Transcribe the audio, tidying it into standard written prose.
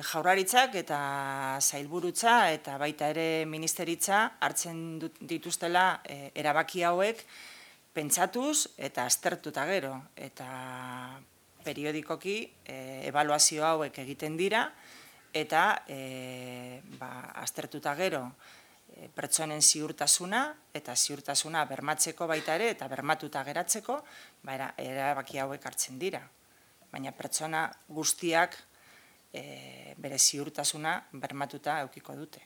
Jaurlaritzak eta sailburutza eta baita ere ministeritza hartzen dituztela erabaki hauek pentsatuz eta aztertuta gero. Eta periodikoki ebaluazio hauek egiten dira eta aztertuta gero pertsonen ziurtasuna eta ziurtasuna bermatzeko baita ere eta bermatuta geratzeko erabaki hauek hartzen dira. Baina pertsona guztiak bere ziurtasuna bermatuta edukiko dute.